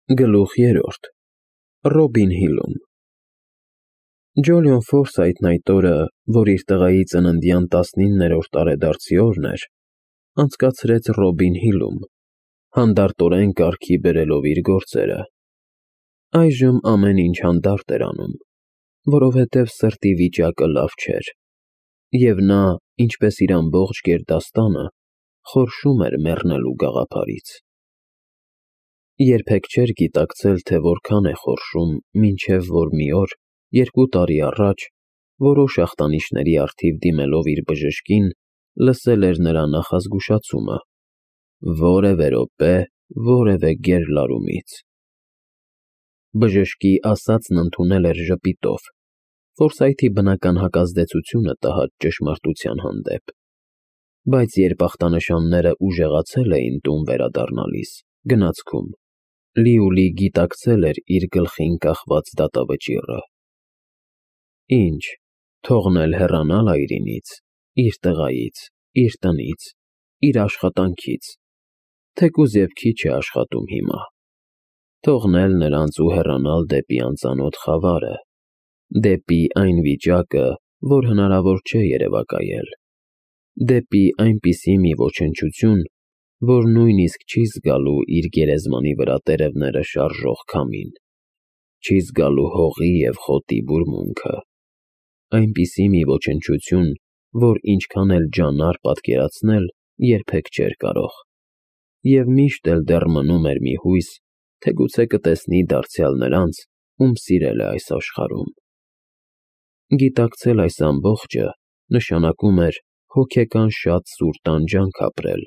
Գլուխ 3 Ռոբին Հիլում Ջոլիոն Ֆորսայթն այդ օրը, որ իր տղայի ծննդյան 19-րդ տարեդարձի օրն էր, անցկացրեց Ռոբին Հիլում, հանդարտորեն կարգի բերելով իր գործերը։ Այժմ ամեն ինչ հանդարտ էր անում, որովհետև սրտի վիճակը լավ չէր, և նա, ինչպես իր ամբողջ գերդաստանը, խորշում էր մեռնելու գաղափարից։ Երբեք չէր գիտակցել, թե որքան է խորշում, մինչև որ մի օր, 2 տարի առաջ, որոշ ախտանիշների առթիվ դիմելով իր բժշկին, լսել էր նրա նախազգուշացումը. որևէ րոպե, որևէ գերլարումից։ Բժշկի ասածն ընդունել էր ժպիտով, Ֆորսայթի բնական հակազդեցությունը տհաճ ճշմարտության հանդեպ, բայց երբ ախտանշանները ուժեղացել էին տուն վերադառնալիս, գնացքում, լիուլի գիտակցել էր իր գլխին կախված դատավճիռը։ Ինչ, թողնել հեռանալ այրինից, իր տղայից, իր տնից, իր աշխատանքից, թեկուզ և քիչ է աշխատում հիմա, թողնել նրանց ու հեռանալ դեպի անծանոթ խավարը, դեպի այն վիճակը, որ հնարավոր չէ երևակայել, դեպի այնպիսի մի ոչնչություն, որ նույնիսկ չի զգալու իր գերեզմանի վրա տերևները շարժող քամին, չի զգալու հողի և խոտի բուրմունքը, այնպիսի մի ոչնչություն, որ ինչքան էլ ջանար պատկերացնել, երբեք չէր կարող, և միշտ էլ դեռ մնում էր մի հույս, թե գուցե կտեսնի դարձյալ նրանց, ում սիրել է այս աշխարհում։ Գիտակցել այս ամբողջը նշանակում էր հոգեկան շատ սուր տանջանք ապրել,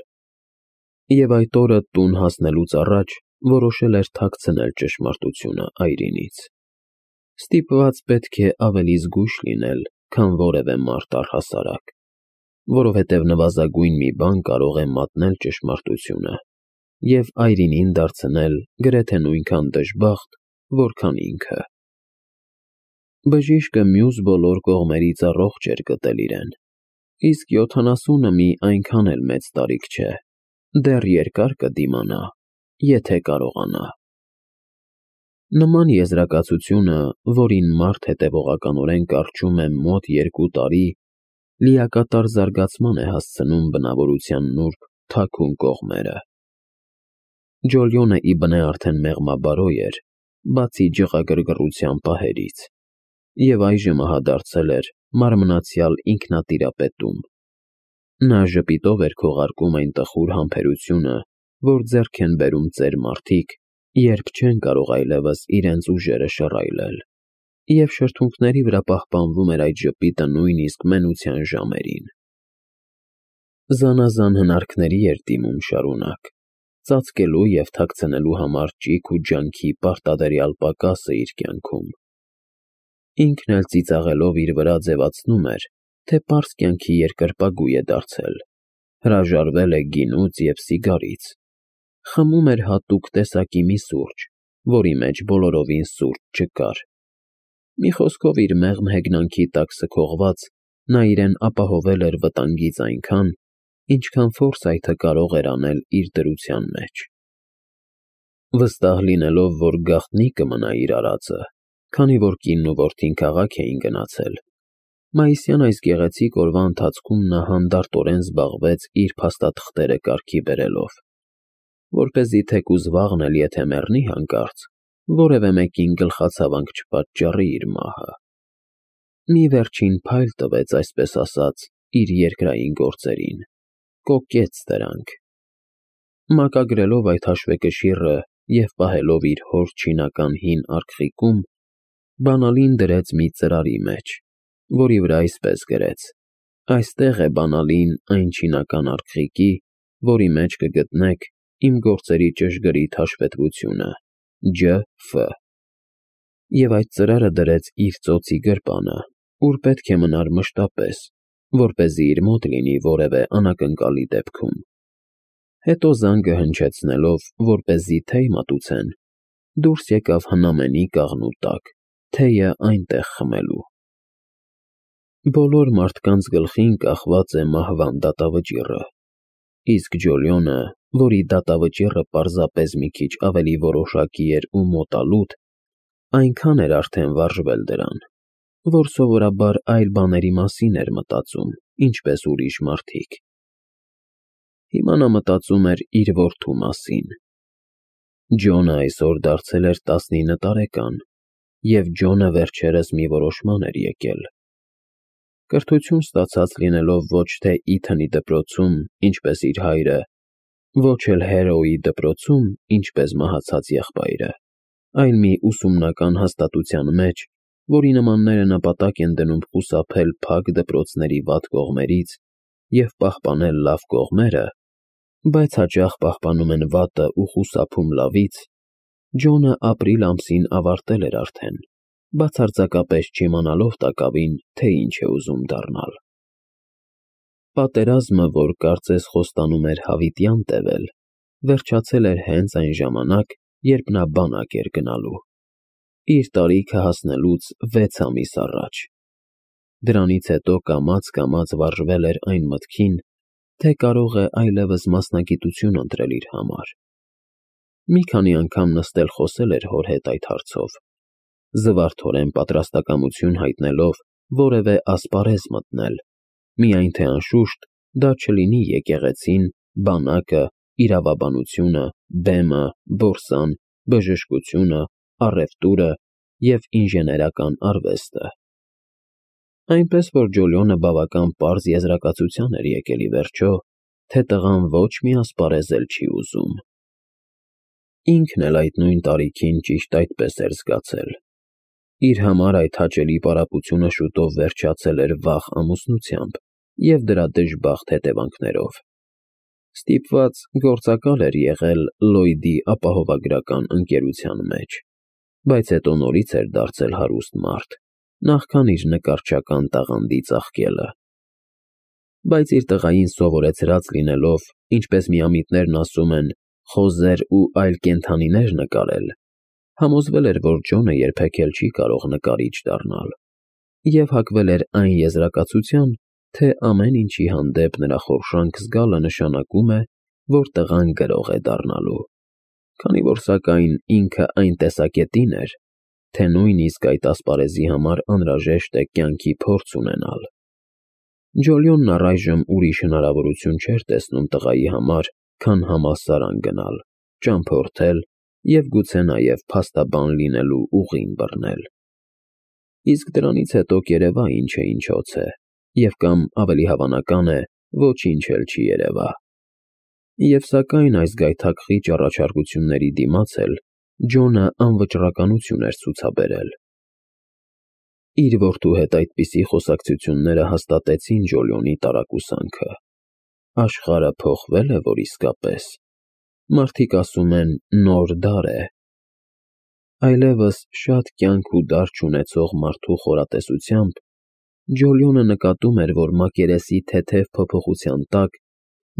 և այդ օրը տուն հասնելուց առաջ որոշել էր թաքցնել ճշմարտությունը այրինից։ Ստիպված պետք է ավելի զգույշ լինել, քան որևէ մարդ առհասարակ, որովհետև նվազագույն մի բան կարող է մատնել ճշմարտությունը և այրինին դարձնել գրեթե նույնքան դժբախտ, որքան ինքը։ Բժիշկը մյուս բոլոր կողմերից առողջ էր գտել իրեն, իսկ 70-ը մի այնքան էլ մեծ տարիք չէ, դեռ երկար կդիմանա, եթե կարողանա։ Նման եզրակացությունը, որին մարդ հետևողականորեն կառչում է մոտ 2 տարի, լիակատար զարգացման է հասցնում բնավորության նուրբ, թաքուն կողմերը։ Ջոլիոնը ի բնե արդեն մեղմաբարոյ էր, բացի ջղագրգռության պահերից, և այժմ ահադարձել էր մարմնացյալ ինքնատիրապետում։ Նա ժպիտով էր քողարկում այն տխուր համբերությունը, որ ձեռք են բերում ծեր մարդիկ, երբ չեն կարող այլևս իրենց ուժերը շռայլել, և շրթունքների վրա պահպանվում էր այդ ժպիտը նույնիսկ մենության ժամերին։ Զանազան հնարքների էր դիմում շարունակ, ծածկելու և թաքցնելու համար ճիգ ու ջանքի պարտադերյալ պակասը իր կյանքում։ Ինքն էլ ծիծաղելով իր վրա ձևացնում էր, թե պարզ կյանքի երկրպագու է դարձել, հրաժարվել է գինուց և սիգարից, խմում էր հատուկ տեսակի մի սուրճ, որի մեջ բոլորովին սուրճ չկար։ Մի խոսքով, իր մեղմ հեգնանքի տակ սքողված, նա իրեն ապահովել էր վտանգից այնքան, ինչքան Ֆորսայթը կարող էր անել իր դրության մեջ։ Վստահ լինելով, որ գաղտնի կմնա իր արածը, քանի որ կինն ու որդին քաղաք էին գնացել, մայիսյան այս գեղեցիկ օրվա ընթացքում նա հանդարտորեն զբաղվեց իր փաստաթղթերը կարգի բերելով, որպեսզի թեկուզ վաղն էլ եթե մեռնի հանկարծ, որևէ մեկին գլխացավանք չպատճառի իր մահը։ Մի վերջին փայլ տվեց, այսպես ասած, իր երկրային գործերին, կոկեց դրանք։ Մակագրելով այդ հաշվեկշիռը և պահելով իր հոր չինական հին արգղիկում, բանալին դրեց մի ծրարի մեջ, որի վրա այսպես գրեց. «Այստեղ է բանալին այն չինական արգղիկի, որի մեջ կգտնեք իմ գործերի ճշգրիտ հաշվետվությունը, Ջ.Ֆ.» Եվ այդ ծրարը դրեց իր ծոցի գրպանը, ուր պետք է մնար մշտապես, որպեսզի իր մոտ լինի որևէ անակնկալի դեպքում։ Հետո զանգը հնչեցնելով, որպեսզի թեյ մատուցեն, դուրս եկավ հնամենի կաղնու տակ, թեյը այնտեղ խմելու։ Բոլոր մարդկանց գլխին կախված է մահվան դատավճիռը, իսկ Ջոլիոնը որի դատավճիռը պարզապես մի քիչ ավելի որոշակի էր ու մոտալուտ, այնքան էր արդեն վարժվել դրան, որ սովորաբար այլ բաների մասին էր մտածում, ինչպես ուրիշ մարդիկ։ Հիմա նա մտածում էր իր որդու մասին։ Ջոնը այսօր դարձել էր 19 տարեկան, և Ջոնը վերջերս մի որոշման էր եկել։ Կրթություն ստացած լինելով ոչ թե Իթանի դպրոցում, ինչպես իր հայրը, ոչ էլ Հերոուի դպրոցում, ինչպես մահացած եղբայրը, այլ մի ուսումնական հաստատության մեջ, որի նմանները նպատակ են դնում խուսափել փակ դպրոցների վատ կողմերից և պահպանել լավ կողմերը, բայց հաճախ պահպանում են վատը ու խուսափում լավից, Ջոնը ապրիլ ամսին ավարտել էր արդեն, բացարձակապես չիմանալով տակավին, թե ինչ է ուզում դառնալ։ Պատերազմը, որ կարծես խոստանում էր հավիտյան տևել, վերջացել էր հենց այն ժամանակ, երբ նա բանակ էր գնալու, իր տարիքը հասնելուց 6 ամիս առաջ։ Դրանից հետո կամաց վարժվել էր այն մտքին, թե կարող է այլևս մասնագիտություն ընտրել իր համար։ Մի քանի անգամ նստել խոսել էր հոր հետ այդ հարցով, զվարթորեն պատրաստակամություն հայտնելով որևէ ասպարեզ մտնել, միայն թե անշուշտ դա չլինի եկեղեցին, բանակը, իրավաբանությունը, բեմը, բորսան, բժշկությունը, առևտուրը և ինժեներական արվեստը։ Այնպես որ Ջոլիոնը բավական պարզ եզրակացության էր եկել ի վերջո, թե տղան ոչ մի ասպարեզ էլ չի ուզում։ Ինքն էլ այդ նույն տարիքին ճիշտ այդպես էր զգացել։ Իր համար այդ հաճելի պարապությունը շուտով վերջացել էր վաղ ամուսնությամբ և դրա դժբախտ հետևանքներով։ Ստիպված գործակալ էր եղել Լլոյդի ապահովագրական ընկերության մեջ, բայց հետո նորից էր դարձել հարուստ մարդ, նախքան իր նկարչական տաղանդի ծաղկելը։ Բայց իր տղային սովորեցրած լինելով, ինչպես միամիտներն ասում են, խոզեր ու այլ կենդանիներ նկարել, համոզվել էր, որ Ջոնը երբեք էլ չի կարող նկարիչ դառնալ, և հակվել էր այն եզրակացության, թե ամեն ինչի հանդեպ նրա խորշանք զգալը նշանակում է, որ տղան գրող է դառնալու, քանի որ սակայն ինքը այն տեսակետին էր, թե նույնիսկ այդ ասպարեզի համար անհրաժեշտ է կյանքի փորձ ունենալ։ Ջոլիոնն առայժմ ուրիշ հնարավորություն չէր տեսնում տղայի համար, քան համալսարան գնալ, ճամփորդել և գուցե նաև փաստաբան լինելու ուղին բռնել։ Իսկ դրանից հետո կերևա ինչ է ինչոց է, և կամ ավելի հավանական է, ոչինչ էլ չի երևա։ Եվ սակայն այս գայթակղիչ առաջարկությունների դիմաց էլ Ջոնը անվճռականություն էր ցուցաբերել։ Իր որդու հետ այդպիսի խոսակցությունները հաստատեցին Ջոլիոնի տարակուսանքը։ Աշխարհը փոխվել է, որ իսկապես։ Մարդիկ ասում են նոր դար է։ Այլևս շատ կյանք ու դար չունեցող մարդու խորատեսությամբ Ջոլիոնը նկատում էր, որ մակերեսի թեթև փոփոխության տակ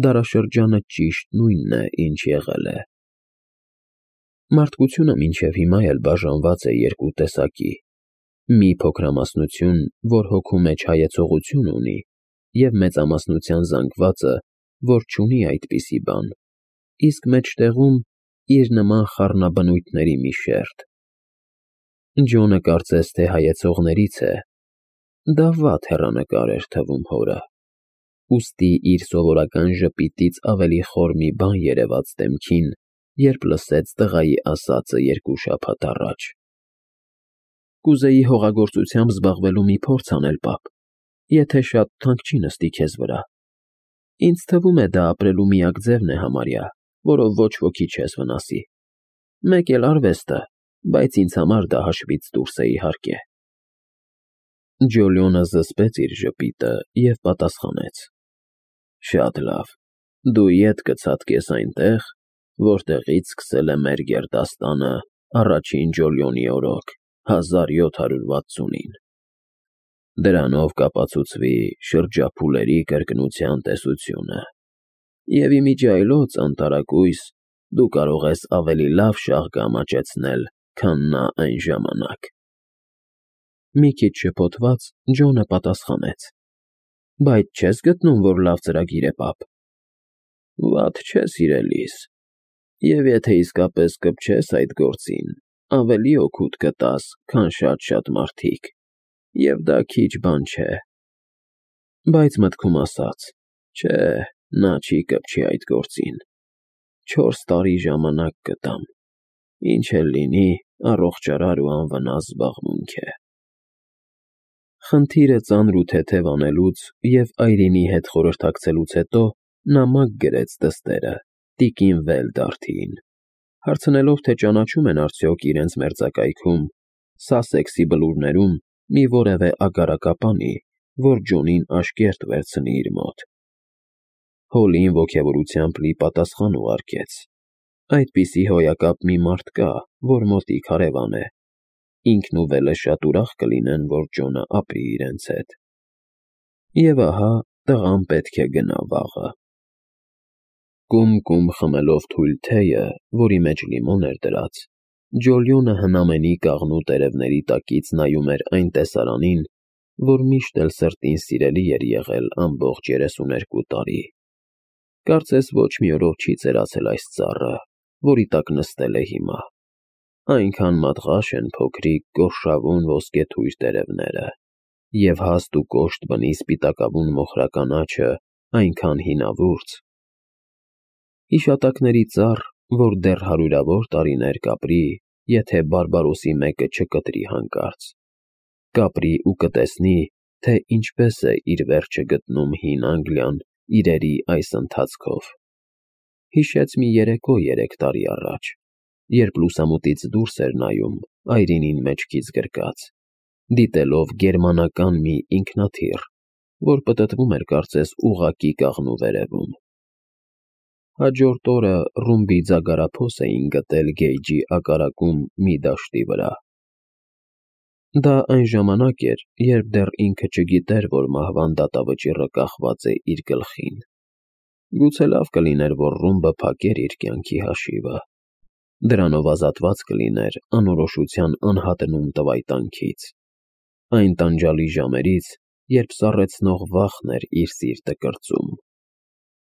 դարաշրջանը ճիշտ նույնն է, ինչ եղել է։ Մարդկությունը մինչև հիմա էլ բաժանված է երկու տեսակի. մի փոքրամասնություն, որ հոգու մեջ հայեցողություն ունի, և մեծամասնության զանգվածը, որ չունի այդպիսի բան, իսկ մեջտեղում իր նման խառնաբնույթների մի շերջ։ Ջոնը կարծես թե հայեցողներից է, դա վատ հեռանկար էր թվում հորը, ուստի իր սովորական ժպիտից ավելի խոր մի բան երևաց դեմքին, երբ լսեց տղայի ասածը 2 շաբաթ առաջ։ Կուզեի հողագործությամբ զբաղվելու մի փորձ անել, պապ, եթե շատ թանկ չի նստի քեզ վրա։ Ինձ թվում է դա ապրելու միակ ձևն է համարյա, որով ոչ ոքի չես վնասի։ Մեկ էլ արվեստը, բայց ինձ համար դա հաշվից դուրս է իհարկե։ Ջոլիոնը զսպեց իր ժպիտը և պատասխանեց. Շատ լավ, դու ետ կցատկես այնտեղ, որտեղից սկսել է մեր գերդաստանը առաջին Ջոլիոնի օրոք 1760-ին։ Դրանով կապացուցվի շրջափուլերի կրկնության տեսությունը, և իմիջիայլոց անտարակույս դու կարող ես ավելի լավ շաղ կամաչեցնել, քան նա այն ժամանակ։ Մի քիչ շփոթված Ջոնը պատասխանեց. Բայց չես գտնում, որ լավ ծրագիր է, պապ։ Վատ չէ, սիրելիս, և եթե իսկապես կպչես այդ գործին, ավելի օգուտ կտաս, քան շատ-շատ մարդիկ, և դա քիչ բան չէ, բայց մտքում ասաց. չէ, նա չի կպչի այդ գործին, 4 տարի ժամանակ կտամ, ինչ էլ լինի, առողջարար ու անվնաս զբաղմունք է։ Խնդիրը ծանր ու թեթև անելուց և այրինի հետ խորհրդակցելուց հետո նա մագ գրեց դստերը տիկին Վելդարթիին, հարցնելով, թե ճանաչում են արդյոք իրենց մերձակայքում, Սասեքսի բլուրներում մի որևէ ագարակապանի, որ Ջոնին աշկերտ վերցնի իր մոտ։ Հոլին ոգևորությամբ լի պատասխան ուղարկեց. այդպիսի հոյակապ մի մարդ կա, որ մոտիկ հարևան է, ինքն ու Վելը շատ ուրախ կլինեն, որ Ջոնը ապրի իրենց հետ։ Եվ ահա տղան պետք է գնա վաղը։ Կում-կում խմելով թույլ թեյը, որի մեջ լիմոն էր դրած, Ջոլիոնը հնամենի կաղնու տերևների տակից նայում էր այն տեսարանին, որ միշտ էլ սրտին սիրելի էր եղել ամբողջ 32 տարի։ Կարծես ոչ մի օրով չի ծերացել այս ծառը, որի տակ նստել է հիմա։ Այնքան մատղաշ են փոքրիկ, գորշավուն ոսկեթույր տերևները, և հաստ ու կոշտ բնի սպիտակավուն մոխրական աջը այնքան հինավուրց։ Հիշատակների ծառ, որ դեռ հարյուրավոր տարիներ կապրի, եթե Բարբարոսի մեկը չկտրի հանկարծ, կապրի ու կտեսնի, թե ինչպես է իր վերջը գտնում հին Անգլիան իրերի այս ընթացքով։ Հիշեց մի երեկո 3 տարի առաջ, երբ լուսամուտից դուրս էր նայում այրինին մեջքից գրկած, դիտելով գերմանական մի ինքնաթիռ, որ պտտվում էր կարծես ուղղակի կաղնու վերևում։ Հաջորդ օրը ռումբի ձագարափոս էին գտել գեյջի ակարակում մի դաշտի վրա։ Դա այն ժամանակ էր, երբ դեռ ինքը չգիտեր, որ մահվան դատավճիռը կախված է իր գլխին։ Գուցե լավ կլիներ, որ ռումբը փակեր իր կյանքի հաշիվը։ Դրանով ազատված կլիներ անորոշության անհատնում տվայտանքից, այն տանջալի ժամերից, երբ սառեցնող վախն էր իր սիրտը կրծում։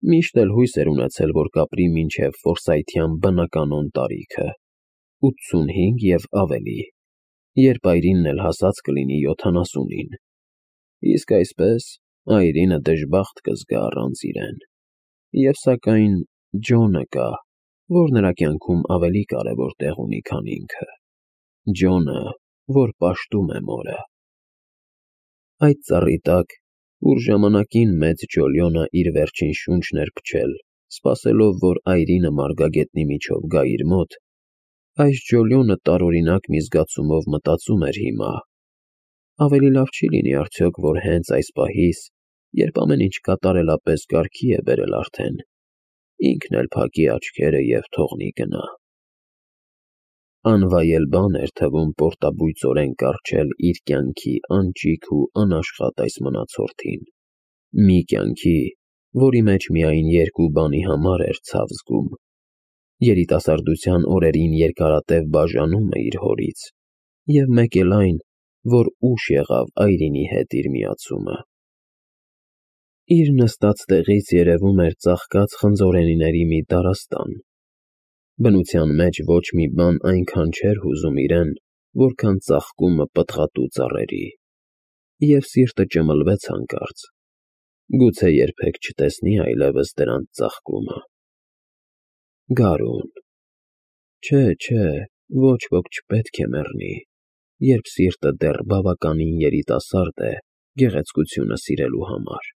Միշտ էլ հույս էր ունեցել, որ կապրի մինչև ֆորսայթյան բնականոն տարիքը, 85 և ավելի, երբ այրինն էլ հասած կլինի 70-ին, իսկ այսպես այրինը դժբախտ կզգա առանց իրեն։ Եվ սակայն Ջոնը կա, որ նրա կյանքում ավելի կարևոր տեղ ունի, քան ինքը, Ջոնը, որ պաշտում է մորը։ Այդ ծառի տակ, ուր ժամանակին մեծ Ջոլիոնը իր վերջին շունչն էր փչել, սպասելով, որ այրինը մարգագետնի միջով գա իր մոտ, այս Ջոլիոնը տարօրինակ մի զգացումով մտածում էր հիմա. ավելի լավ չի լինի արդյոք, որ հենց այս պահից, երբ ամեն ինչ կատարելապես կարգի է բերել արդեն, ինքն էլ փակի աչքերը և թողնի գնա։ Անվայել բան էր թվում պորտաբույծորեն կառչել իր կյանքի անճիք ու անաշխատ այս մնացորդին, մի կյանքի, որի մեջ միայն 2 բանի համար էր ցավ զգում. երիտասարդության օրերին երկարատև բաժանումը իր հորից, և մեկ էլ այն, որ ուշ եղավ այրինի հետ իր միացումը։ Իր նստած տեղից երևում էր ծաղկած խնձորենիների մի դարաստան։ Բնության մեջ ոչ մի բան այնքան չէր հուզում իրեն, որքան ծաղկումը պտղատու ծառերի, և սիրտը ճմլվեց հանկարծ, գուցե երբեք չտեսնի այլևս դրանց ծաղկումը։ Գարուն։ Չէ, ոչ ոք չպետք է մեռնի, երբ սիրտը դեռ բավականին երիտասարդ է գեղեցկությունը սիրելու համար։